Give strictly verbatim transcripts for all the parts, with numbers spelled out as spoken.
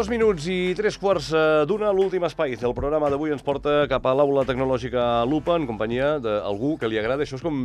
Dos minuts i tres quarts d'una, l'últim espai del programa d'avui ens porta cap a l'aula tecnològica Lupa en companyia d'algú que li agrada. Això és com,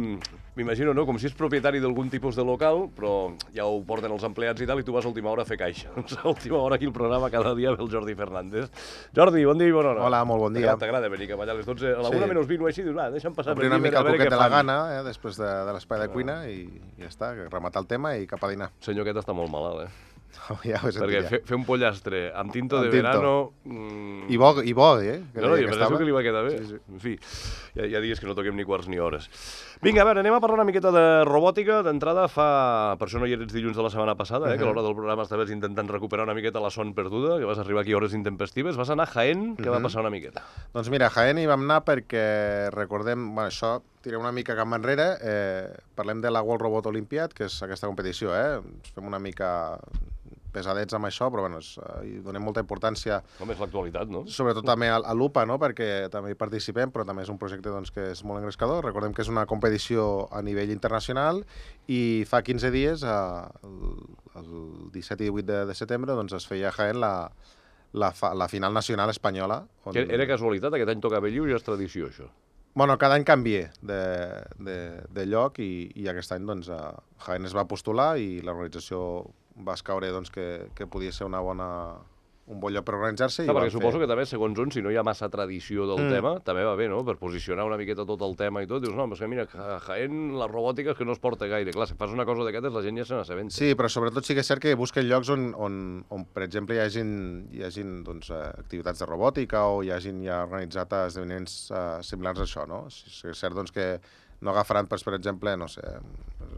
m'imagino, no? Com si és propietari d'algun tipus de local, però ja ho porten els empleats i tal, i tu vas a última hora a fer caixa. A última hora aquí el programa cada dia ve el Jordi Fernández. Jordi, bon dia i bona hora. Hola, molt bon dia. T'agrada venir cap allà a les dotze, a la una menys vint o així, dius, va, deixa'm passar per una mica el coquet de la gana, eh, després de, de l'espai de cuina, i ja està, rematar el tema i cap a dinar. Senyor, aquest està molt malalt, eh? Oh, ja ho he sentit, perquè ja. fer, fer un pollastre amb tinto amb de tinto. verano... Mm... I bo, i bo, eh? Que no, no, jo penso que li va quedar bé. Sí, sí. En fi, ja, ja digues que no toquem ni quarts ni hores. Vinga, a veure, anem a parlar una miqueta de robòtica. D'entrada fa... Per això no hi eres dilluns de la setmana passada, eh? Uh -huh. Que a l'hora del programa estaves intentant recuperar una miqueta la son perduda, que vas arribar aquí a hores intempestives. Vas anar a Jaén, què uh -huh. va passar una miqueta? Doncs mira, a Jaén hi vam anar perquè recordem... Bueno, això, tirem una mica cap enrere. Eh, parlem de la World Robot Olympiad, que és aquesta competició, eh? Ens fem una mica... pesadets amb això, però bueno, és, uh, hi donem molta importància. Com és l'actualitat, no? Sobretot també a, a l'UPA, no? Perquè també hi participem, però també és un projecte doncs, que és molt engrescador. Recordem que és una competició a nivell internacional i fa quinze dies, uh, el, el disset i divuit de, de setembre, doncs es feia a Jaén la, la, fa, la final nacional espanyola. On... Que era casualitat? Aquest any tocava Belliu i és tradició, això? Bueno, cada any canvia de, de, de lloc i, i aquest any doncs, uh, Jaén es va postular i l'organització va escaure doncs, que, que podia ser una bona, un bon lloc per organitzar-se. No, perquè suposo fer... que també, segons on, si no hi ha massa tradició del mm. tema, també va bé, no? Per posicionar una miqueta tot el tema i tot. Dius, no, és que mira, a Jaén la robòtica és que no es porta gaire. Clar, si fas una cosa d'aquestes, la gent ja se n'assabenta. Sí, però sobretot sí que és cert que busquen llocs on, on, on per exemple, hi hagin, hi hagin doncs, activitats de robòtica o hi hagin ja organitzat esdeveniments uh, similars a això, no? Sí, és cert doncs, que no agafaran, per exemple, no sé,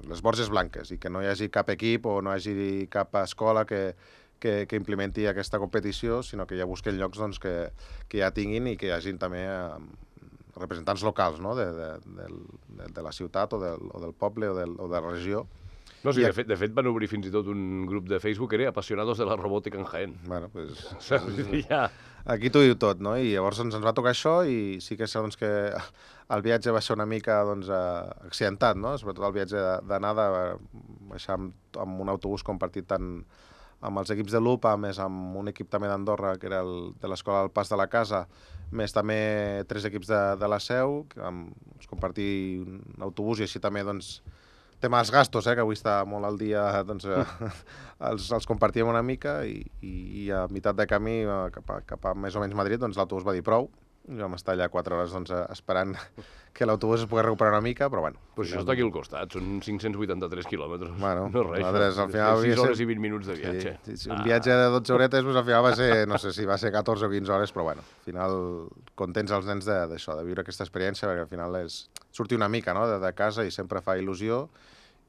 les Borges Blanques i que no hi hagi cap equip o no hi hagi cap escola que, que, que implementi aquesta competició, sinó que ja busquen llocs doncs, que, que ja tinguin i que hi hagin també eh, representants locals, no? de, de, de, de la ciutat o del, o del poble o, del, o de la regió. No, sí, de fet, de fet van obrir fins i tot un grup de Facebook que era Apasionados de la Robòtica en Jaén. Bueno, pues... ja... Aquí t'ho diu tot, no? I llavors ens, ens va tocar això i sí que és doncs, que el viatge va ser una mica doncs, accidentat, no? Sobretot el viatge d'anada, baixar amb, amb un autobús compartit tant amb els equips de l'UPA, més amb un equip també d'Andorra, que era el de l'escola del Pas de la Casa, més també tres equips de, de la Seu, que vam doncs, compartir un autobús i així també doncs, tema dels gastos, eh, que avui està molt al dia, doncs, eh, els, els compartíem una mica i, i, i a meitat de camí cap a, cap a més o menys Madrid, doncs l'autobús va dir prou i vam estar allà quatre hores doncs, esperant que l'autobús es pogués recuperar una mica, però bueno. Però això està aquí al costat, són cinc-cents vuitanta-tres quilòmetres. Bueno, no és res, nosaltres, al final... sis hores i vint minuts de viatge. Sí, sí, un viatge de dotze horetes, doncs, al final va ser, no sé si va ser catorze o quinze hores, però bueno, al final contents els nens d'això, de, de viure aquesta experiència, perquè al final és sortir una mica, no?, de, de casa i sempre fa il·lusió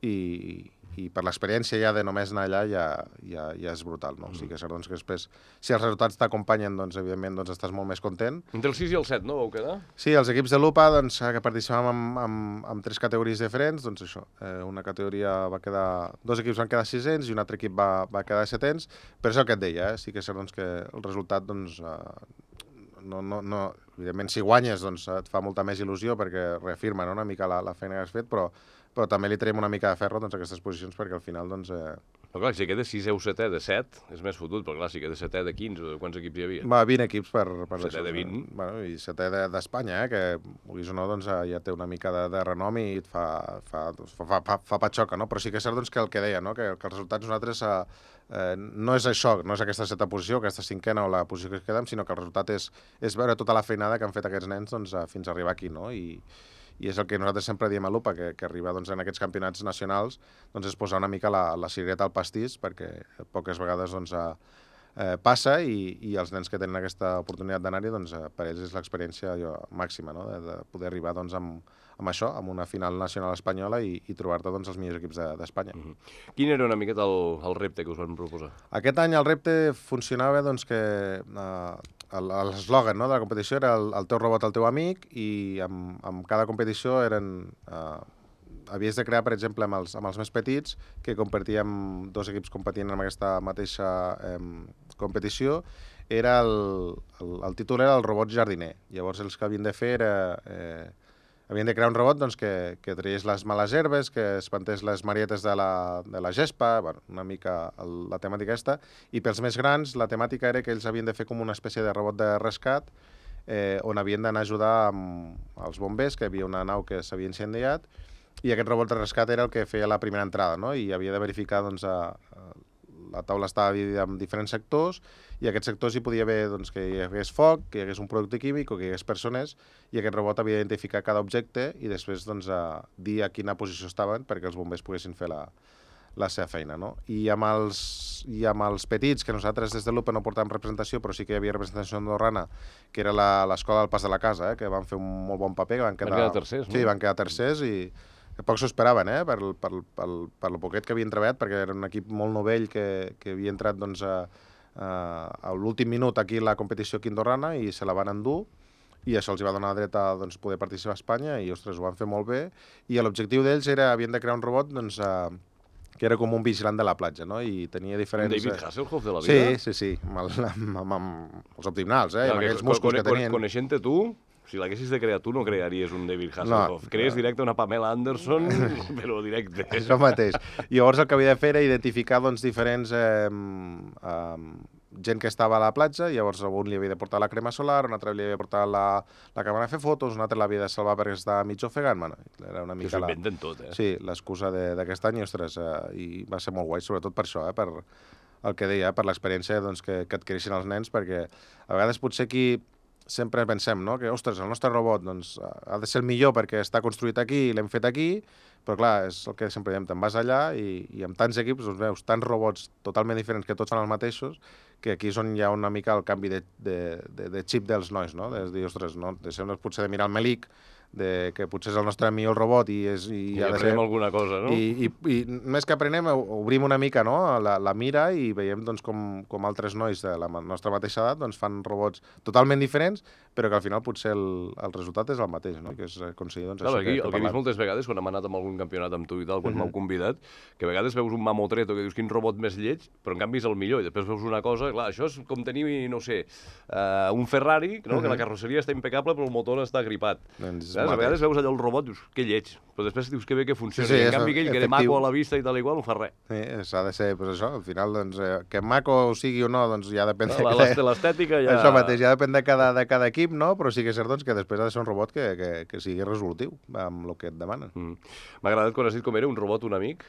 i, i per l'experiència ja de només anar allà ja, ja, ja és brutal, no? Mm. O sigui que, doncs, que després, si els resultats t'acompanyen, doncs, evidentment, doncs, estàs molt més content. Entre el sis i el set, no, vau quedar? Sí, els equips de l'UPA, doncs, que participàvem amb, amb, amb tres categories diferents, doncs això, eh, una categoria va quedar... Dos equips van quedar sisens i un altre equip va, va quedar setens, però això que et deia, eh? Sí que és cert, doncs, que el resultat, doncs, eh, no, no, no... Evidentment, si guanyes, doncs, et fa molta més il·lusió perquè reafirma, no?, una mica la, la feina que has fet, però però també li traiem una mica de ferro doncs, a aquestes posicions perquè al final, doncs... Eh... Però clar, si queda sisè o setè de set, és més fotut, però clar, si queda setè de quinze, quants equips hi havia? Va, vint equips per... per setè de vint? Bueno, i setè d'Espanya, eh, que, vulguis o no, doncs, ja té una mica de, de renom i et fa, fa, fa, fa, fa patxoca, no? Però sí que és cert doncs, que el que deia, no?, que, que els resultats nosaltres... Eh, eh, no és això, no és aquesta setena posició, aquesta cinquena o la posició que es quedem, sinó que el resultat és, és veure tota la feinada que han fet aquests nens doncs, fins a arribar aquí, no? I, i és el que nosaltres sempre diem a l'UPA, que, que arriba doncs, en aquests campionats nacionals doncs, és posar una mica la, la cirereta al pastís, perquè poques vegades doncs, eh, passa i, i els nens que tenen aquesta oportunitat d'anar-hi, doncs, per ells és l'experiència màxima, no?, de, de poder arribar doncs, amb, amb això, amb una final nacional espanyola i, i trobar-te doncs, els millors equips d'Espanya. De, uh -huh. Quin era una miqueta el, el repte que us van proposar? Aquest any el repte funcionava doncs, que... Eh, l'eslògan, no?, de la competició era el, el teu robot, el teu amic, i amb, amb cada competició eren... Eh, havies de crear, per exemple, amb els, amb els més petits, que compartíem, dos equips competint en aquesta mateixa eh, competició, era el, el, el títol era el robot jardiner. Llavors els que havien de fer era... Eh, havien de crear un robot doncs, que, que traiés les males herbes, que espantés les marietes de la, de la gespa, bueno, una mica el, la temàtica aquesta, i pels més grans la temàtica era que ells havien de fer com una espècie de robot de rescat eh, on havien d'anar a ajudar amb els bombers, que hi havia una nau que s'havia incendiat, i aquest robot de rescat era el que feia la primera entrada, no? I havia de verificar doncs, a, a la taula estava dividida en diferents sectors i en aquests sectors hi podia haver doncs, que hi hagués foc, que hi hagués un producte químic o que hi hagués persones i aquest robot havia d'identificar cada objecte i després doncs, a dir a quina posició estaven perquè els bombers poguessin fer la, la seva feina. No? I, amb els, I amb els petits, que nosaltres des de l'U P no portàvem representació, però sí que hi havia representació andorrana, que era l'escola del Pas de la Casa, eh, que van fer un molt bon paper. Van quedar, van quedar tercers, no? Sí, van quedar tercers i que poc s'ho esperaven, eh, per, per, per, per el poquet que havien treballat, perquè era un equip molt novell que, que havia entrat doncs, a, a, a l'últim minut aquí a la competició quindorrana i se la van endur i això els va donar dret a doncs, poder participar a Espanya i, ostres, ho van fer molt bé. I l'objectiu d'ells era, havien de crear un robot doncs, a, que era com un vigilant de la platja, no? I tenia diferents... Un David Hasselhoff de la vida? Sí, sí, sí, amb, el, amb, amb, amb els abdominals, eh, no, amb aquells músculs con, que tenien. Coneixent-te tu, si l'haguessis de crear tu, no crearies un David Hasselhoff. No, Crees directe una Pamela Anderson, però directe. Això mateix. I llavors el que havia de fer era identificar doncs, diferents... Eh, eh, gent que estava a la platja, i llavors un li havia de portar la crema solar, un altre li havia de portar la, la càmera a fer fotos, un altre l'havia de salvar perquè estava mig ofegant. Bueno, era una mica que s'ho inventen la... tot, eh? Sí, l'excusa d'aquest any, ostres, eh, i va ser molt guai, sobretot per això, eh, per el que deia, per l'experiència doncs, que, que adquireixen els nens, perquè a vegades potser aquí sempre pensem, no?, que, ostres, el nostre robot doncs, ha de ser el millor perquè està construït aquí i l'hem fet aquí, però clar, és el que sempre diem, te'n vas allà i, i amb tants equips doncs, veus tants robots totalment diferents que tots són els mateixos, que aquí és on hi ha una mica el canvi de, de, de, de xip dels nois, no? De dir, ostres, no? Deixem potser de mirar el Melic, de, que potser és el nostre millor robot i, és, i, I ha de aprenem ser... alguna cosa, no? I, i, i més que aprenem, obrim una mica no? la, la mira i veiem doncs, com, com altres nois de la nostra mateixa edat doncs, fan robots totalment diferents, però que al final potser el, el resultat és el mateix, no? Que és aconseguir doncs, Clar, això aquí, que, que el que he vist moltes vegades, quan hem anat amb algun campionat amb tu i tal, quan uh -huh. m'heu convidat, que a vegades veus un mamotreto que dius quin robot més lleig, però en canvi és el millor, i després veus una cosa, clar, això és com tenir, no sé, uh, un Ferrari, no? Uh -huh. que la carrosseria està impecable però el motor està gripat. Doncs a vegades veus allò el robot, dius, que lleig, però després dius que bé que funciona. Sí, sí, I en canvi aquell que de maco a la vista i tal igual no fa res. Sí, s'ha de ser, pues això, al final, doncs, eh, que maco sigui o no, doncs ja depèn de... L'estètica ja... Això mateix, ja depèn de cada, de cada equip, no? Però sí que és cert doncs, que després ha de ser un robot que, que, que sigui resolutiu amb el que et demanen. Mm. M'ha agradat quan has dit com era un robot, un amic.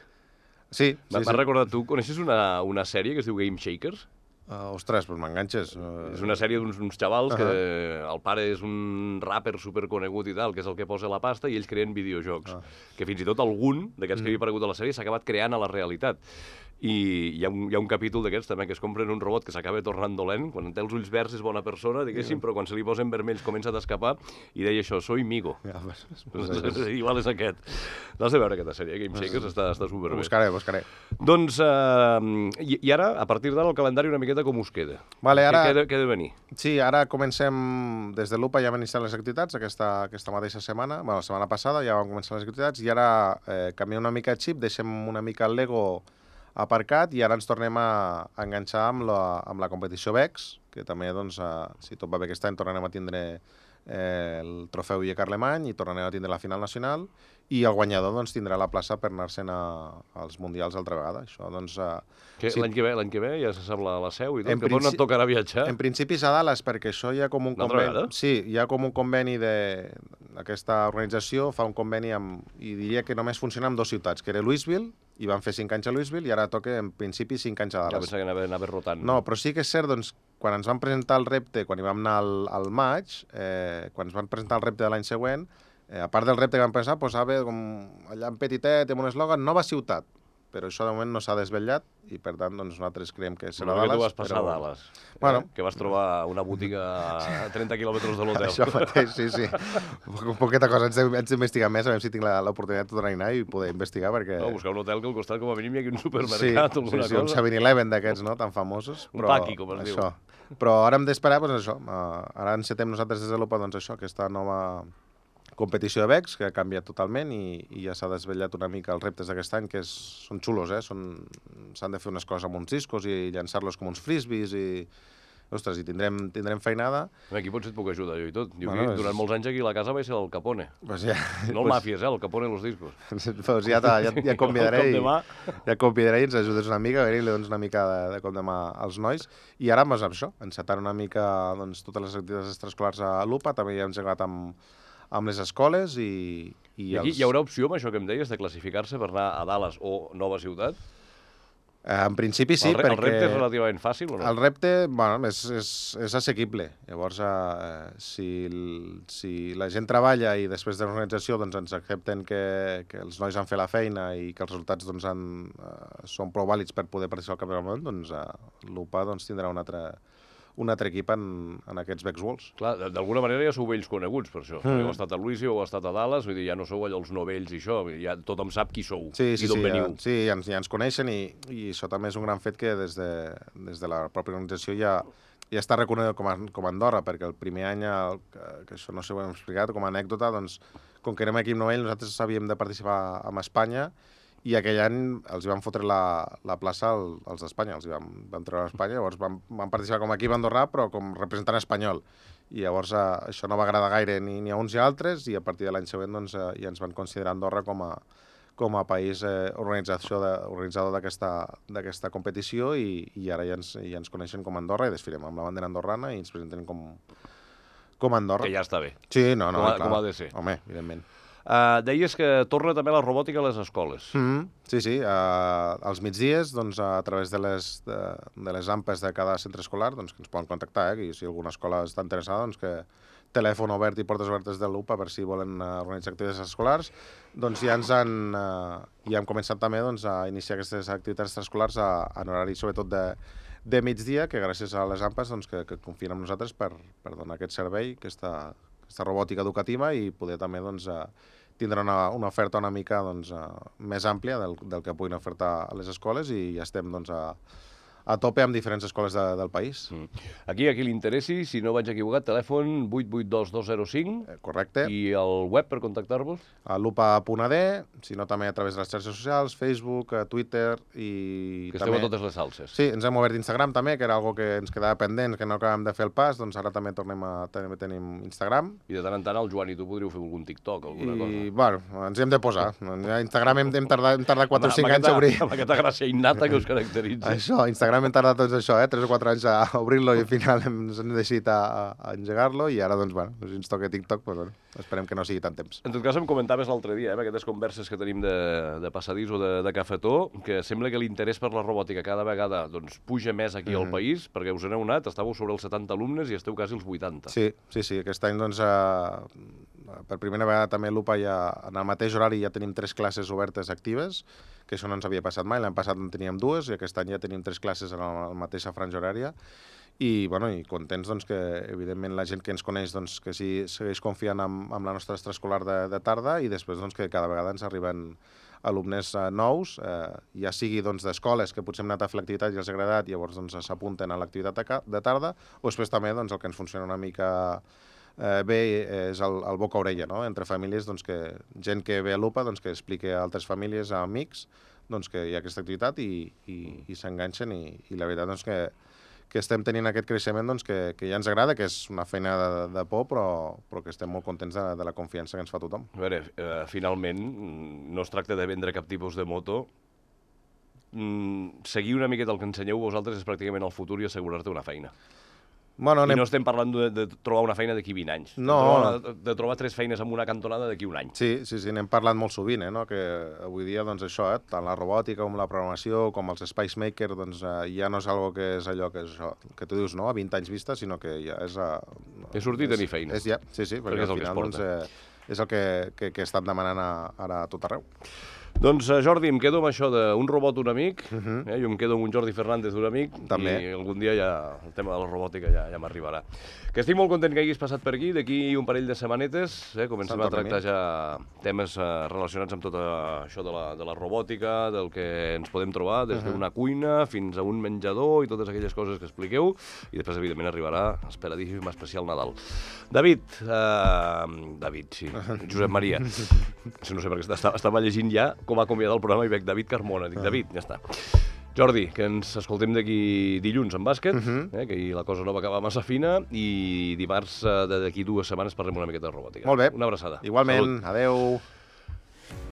Sí, sí, M'ha sí. recordat tu, coneixes una, una sèrie que es diu Game Shakers? Uh, ostres, doncs m'enganxes. Uh... És una sèrie d'uns xavals uh -huh. que el pare és un rapper superconegut i tal, que és el que posa la pasta, i ells creen videojocs. Uh. Que fins i tot algun d'aquests mm. que havia aparegut a la sèrie s'ha acabat creant a la realitat. I hi ha un, hi ha un capítol d'aquests també que es compren un robot que s'acaba tornant dolent, quan té els ulls verds és bona persona, diguéssim, yeah. però quan se li posen vermells comença a escapar i deia això, soy migo. Yeah, pues, pues, pues, igual és aquest. L'has de veure aquesta sèrie, Game Shakers, pues, està, està superbé. Ho buscaré, ho buscaré. Doncs, uh, i, i ara, a partir d'ara, el calendari una miqueta com us queda? Vale, ara... Què ha de, què ha de venir? Sí, ara comencem, des de l'U P A ja vam iniciar les activitats aquesta, aquesta mateixa setmana, bueno, la setmana passada ja vam començar les activitats, i ara eh, canviem una mica el xip, deixem una mica el Lego aparcat i ara ens tornem a, a enganxar amb la, amb la competició Vex, que també, doncs, eh, si tot va bé aquest any, tornarem a tindre eh, el trofeu I E C Alemany i tornarem a tindre la final nacional, i el guanyador doncs, tindrà la plaça per anar-se'n als Mundials altra vegada. Això, doncs, eh, sí. L'any que ve, l'any que ve ja se sap la, la seu i tot, en que pot no et tocarà viatjar. En principi és a Dallas, perquè això hi ha com un conveni... Sí, hi ha com un conveni de... Aquesta organització fa un conveni amb... I diria que només funciona amb dues ciutats, que era Louisville, i van fer cinc anys a Louisville, i ara toca, en principi, cinc anys a Dallas. Ja pensava que anava, anava rotant. No, però sí que és cert, doncs, quan ens van presentar el repte, quan hi vam anar al, al maig, eh, quan ens van presentar el repte de l'any següent, eh, a part del repte que vam pensar, posava com allà en petitet, amb un eslògan, nova ciutat. Però això de moment no s'ha desvetllat i, per tant, doncs, nosaltres creiem que serà Dallas. Dallas. Tu vas passar però... a Dallas, bueno. eh? Que vas trobar una botiga a trenta quilòmetres de l'hotel. Això mateix, sí, sí. Poqueta cosa, haig d'investigar més, a veure si tinc l'oportunitat de tornar-hi i poder investigar, perquè... No, buscar un hotel que al costat, com a mínim, hi hagi un supermercat sí, o alguna sí, sí, cosa. un seven eleven d'aquests, no?, tan famosos. Un paqui, com es això. diu. Però ara hem d'esperar, doncs això, ara encetem nosaltres des de l'U P A, doncs això, aquesta nova competició de Vex, que ha canviat totalment i, i ja s'ha desvetllat una mica els reptes d'aquest any, que és, són xulos, eh? S'han de fer unes coses amb uns discos i llançar-los com uns frisbees i, ostres, i tindrem, tindrem feinada. Aquí potser et puc ajudar jo i tot. Jo Bueno, aquí, durant és- molts anys aquí a la casa vaig ser el Capone. Pues ja, No el pues, Màfies, eh? El Capone de los discos. pues ja, ta- ja, ja convidaré El i, cop de mà. ja convidaré i ens ajudes una mica, a veure, i li dones una mica de, de cop de mà als nois. I ara, doncs, amb això, encetant una mica doncs, totes les activitats extraescolars a l'U P A, també ja hem engegat amb, amb les escoles i... I, I aquí els... hi haurà opció amb això que em deies de classificar-se per anar a Dallas o Nova Ciutat? Eh, en principi sí, el, re perquè... el repte és relativament fàcil o no? El repte, bueno, és, és, és assequible. Llavors, eh, si, el- si la gent treballa i després de l'organització doncs, ens accepten que, que els nois han fet la feina i que els resultats doncs, han, eh, són prou vàlids per poder participar al Campionat del Món, doncs eh, l'U P A doncs, tindrà un altre, un altre equip en, en aquests Vex Worlds. Clar, d- d'alguna manera ja sou vells coneguts per això. Mm. Heu estat a Louisville, heu estat a Dallas, vull dir, ja no sou allò els novells i això, vull dir, ja tothom sap qui sou Sí, sí, i d'on sí, veniu. ja, sí ja, ens, ja ens coneixen i, i això també és un gran fet que des de, des de la pròpia organització ja, ja està reconegut com a, com a Andorra, perquè el primer any, el, que, que això no sé ho hem explicat, com a anècdota, doncs, com que érem equip novell, nosaltres havíem de participar amb Espanya i aquell any els hi vam fotre la, la plaça al, als d'Espanya, els hi vam, vam treure a Espanya, llavors vam, vam participar com a equip andorrà, però com representant espanyol. I llavors eh, això no va agradar gaire ni, ni a uns ni a altres, i a partir de l'any següent doncs, eh, ja ens van considerar Andorra com a, com a país eh, organització de, organitzador d'aquesta competició i, i ara ja ens, ja ens coneixen com a Andorra i desfilem amb la bandera andorrana i ens presenten com, com a Andorra. Que ja està bé. Sí, no, no, Com ha- clar. com ha de ser. Home, evidentment. Uh, deies que torna també la robòtica a les escoles. Mm -hmm. Sí, sí. Uh, als migdies, doncs, a través de les, de, de les ampes de cada centre escolar, doncs, que ens poden contactar, eh? I si alguna escola està interessada, doncs que telèfon obert i portes obertes de l'U P A per si volen uh, organitzar activitats escolars, doncs ja ens han, uh, ja hem començat també doncs, a iniciar aquestes activitats extraescolars a, en horari sobretot de, de migdia, que gràcies a les ampes doncs, que, que confien en nosaltres per, per donar aquest servei, aquesta, aquesta robòtica educativa i poder també doncs, uh, tindrà una, una oferta una mica doncs, uh, més àmplia del, del que puguin ofertar a les escoles i ja estem doncs, a, a tope amb diferents escoles de, del país. Mm. Aquí, a qui li interessi, si no vaig equivocat, telèfon vuit vuit dos dos zero cinc Eh, correcte. i el web per contactar-vos? A lupa punt a d, si no també a través de les xarxes socials, Facebook, eh, Twitter i Que esteu també... a totes les salses. Sí, ens hem obert Instagram també, que era algo que ens quedava pendent, que no acabàvem de fer el pas, doncs ara també tornem a també tenim Instagram. I de tant en tant el Joan i tu podríeu fer algun TikTok, alguna I, cosa. bueno, ens hi hem de posar. A Instagram hem, hem tardat, hem tardat quatre o cinc Amb anys a obrir. Amb aquesta gràcia innata que us caracteritza. Això, Instagram hem tardat doncs això, eh? tres o quatre anys a obrir-lo i al final hem, ens hem decidit a, a engegar-lo i ara, doncs, bueno, si ens toca TikTok, doncs, bueno, esperem que no sigui tant temps. En tot cas, em comentaves l'altre dia, eh, amb aquestes converses que tenim de, de passadís o de, de cafetó, que sembla que l'interès per la robòtica cada vegada doncs, puja més aquí al Mhm. país, perquè us n'heu anat, estàveu sobre els setanta alumnes i esteu quasi als vuitanta. Sí, sí, sí. Aquest any, doncs, eh, per primera vegada també l'U P A ja, en el mateix horari ja tenim tres classes obertes actives, que això no ens havia passat mai. L'any passat en teníem dues i aquest any ja tenim tres classes en la mateixa franja horària. I, bueno, i contents doncs, que, evidentment, la gent que ens coneix doncs, que sí, segueix confiant en, en la nostra extraescolar de, de tarda i després doncs, que cada vegada ens arriben alumnes eh, nous, eh, ja sigui doncs, d'escoles que potser hem anat a fer l'activitat i els ha agradat i llavors doncs, s'apunten a l'activitat de, ca- de tarda, o després també doncs, el que ens funciona una mica eh, bé és el, el boca-orella, no? Entre famílies, doncs, que gent que ve a l'U P A doncs, que expliqui a altres famílies, a amics, doncs, que hi ha aquesta activitat i, i, i s'enganxen i, i la veritat doncs, que que estem tenint aquest creixement doncs, que, que ja ens agrada, que és una feina de, de por, però, però que estem molt contents de, de la confiança que ens fa tothom. A veure, eh, finalment, mm, no es tracta de vendre cap tipus de moto. Mm, seguir una miqueta el que ensenyeu vosaltres és pràcticament el futur i assegurar-te una feina. Bueno, I anem... no estem parlant de, de trobar una feina d'aquí vint anys. No. De trobar, una, de trobar tres feines amb una cantonada d'aquí un any. Sí, sí, sí, n'hem parlat molt sovint, eh, no? Que avui dia, doncs, això, eh, tant la robòtica com la programació, com els Space Maker, doncs, eh, ja no és algo que és allò que és això, que tu dius, no?, a vint anys vista, sinó que ja és... Eh, He sortit a tenir feina. És ja, sí, sí, perquè, Perquè és el al que es final, porta. doncs, eh, és el que, que, que estan demanant a, ara a tot arreu. Doncs, eh, Jordi, em quedo amb això d'un robot, un amic, uh Mhm. -huh. eh? Jo em quedo amb un Jordi Fernández, un amic, També. i algun dia ja el tema de la robòtica ja, ja m'arribarà. Que estic molt content que hagis passat per aquí, d'aquí un parell de setmanetes, eh? comencem Sant a tractar Tornem. ja temes eh, relacionats amb tot eh, això de la, de la robòtica, del que ens podem trobar, des d'una cuina fins a un menjador i totes aquelles coses que expliqueu, i després, evidentment, arribarà esperadíssim especial Nadal. David, eh, David, sí, Josep Maria, no sé per què estava, estava llegint ja com ha convidat el programa i veig David Carmona, dic, David, ja està. Jordi, que ens escoltem d'aquí dilluns en bàsquet, Uh -huh. eh, que ahir la cosa no va acabar massa fina, i dimarts eh, d'aquí dues setmanes parlem una miqueta de robòtica. Molt bé. Una abraçada. Igualment, Salut. adeu.